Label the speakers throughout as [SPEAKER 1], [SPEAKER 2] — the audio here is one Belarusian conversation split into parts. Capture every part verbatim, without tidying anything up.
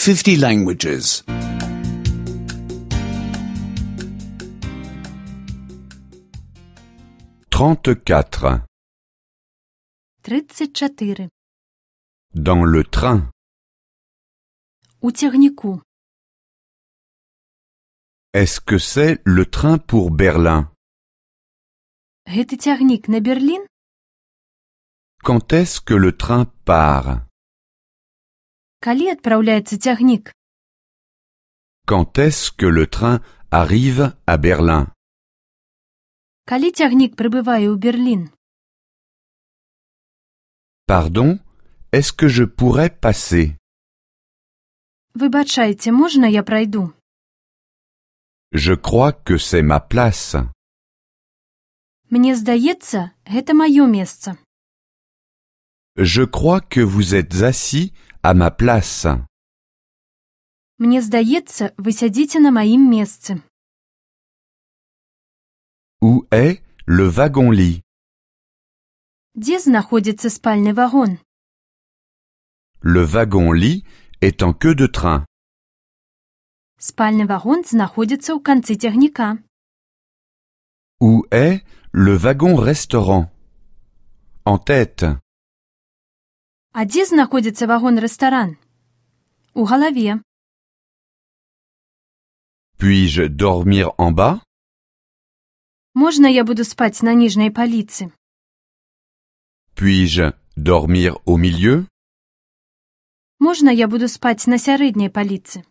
[SPEAKER 1] fifty languages.
[SPEAKER 2] trente-quatre.
[SPEAKER 3] тридцать чотири.
[SPEAKER 2] Dans le train.
[SPEAKER 3] У цягніку.
[SPEAKER 2] Est-ce que c'est le train pour Berlin?
[SPEAKER 3] Гэты цягнік на Берлін?
[SPEAKER 2] Quand est-ce que le train part?
[SPEAKER 3] Калі адпраўляецца цягнік?
[SPEAKER 2] Quand est-ce que le train arrive à Berlin?
[SPEAKER 3] Калі цягнік прыбывае ў Берлін?
[SPEAKER 2] Pardon, est-ce que je pourrais passer?
[SPEAKER 3] Выбачайце, можна я прайду?
[SPEAKER 2] Je crois que c'est ma place.
[SPEAKER 3] Мне здаецца, гэта маё месца.
[SPEAKER 2] Je crois que vous êtes assis à ma place.
[SPEAKER 3] Мне здаецца, вы сядзіце на маім месцы.
[SPEAKER 2] Où est le wagon-lit?
[SPEAKER 3] Дзе знаходзіцца спальны вагон?
[SPEAKER 2] Le wagon-lit est en queue de train.
[SPEAKER 3] Спальны вагон знаходзіцца ў канцы цягніка.
[SPEAKER 2] Où est le wagon-restaurant? En tête.
[SPEAKER 3] А дзе знаходзіцца вагон-рэстаран? У галаве.
[SPEAKER 2] Puis-je dormir en bas?
[SPEAKER 3] Можна я буду спаць на ніжняй паліцы?
[SPEAKER 2] Puis-je dormir au milieu?
[SPEAKER 3] Можна я буду спаць на сярэдняй паліцы?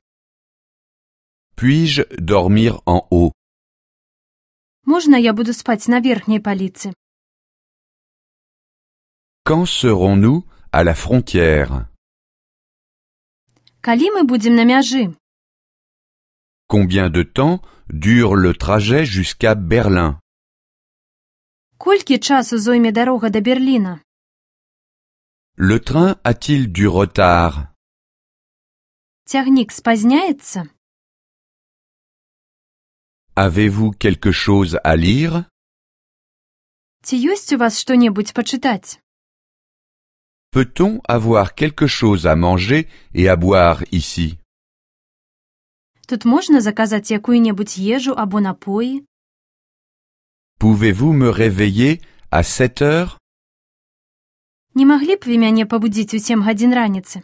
[SPEAKER 2] Puis-je dormir en haut?
[SPEAKER 3] Можна я буду спаць на верхняй паліцы?
[SPEAKER 2] Quand serons-nous à la frontière?
[SPEAKER 3] Калі мы будзем на мяжы?
[SPEAKER 2] Combien de temps dure le trajet jusqu'à Berlin?
[SPEAKER 3] Колькі часу зойме дарога да Берліна?
[SPEAKER 2] Le train a-t-il du retard?
[SPEAKER 3] Цягнік спазняецца?
[SPEAKER 2] Avez-vous quelque chose à lire?
[SPEAKER 3] Ці ёсць у вас што-небудзь пачытаць?
[SPEAKER 2] Peut-on avoir quelque chose à manger et à boire ici?
[SPEAKER 3] Тут можна заказаць якую-небудзь ежу або напоі?
[SPEAKER 2] Pouvez-vous me réveiller à sept heures?
[SPEAKER 3] Не маглі б вы мяне пабудзіць у сем гадзін раніцы?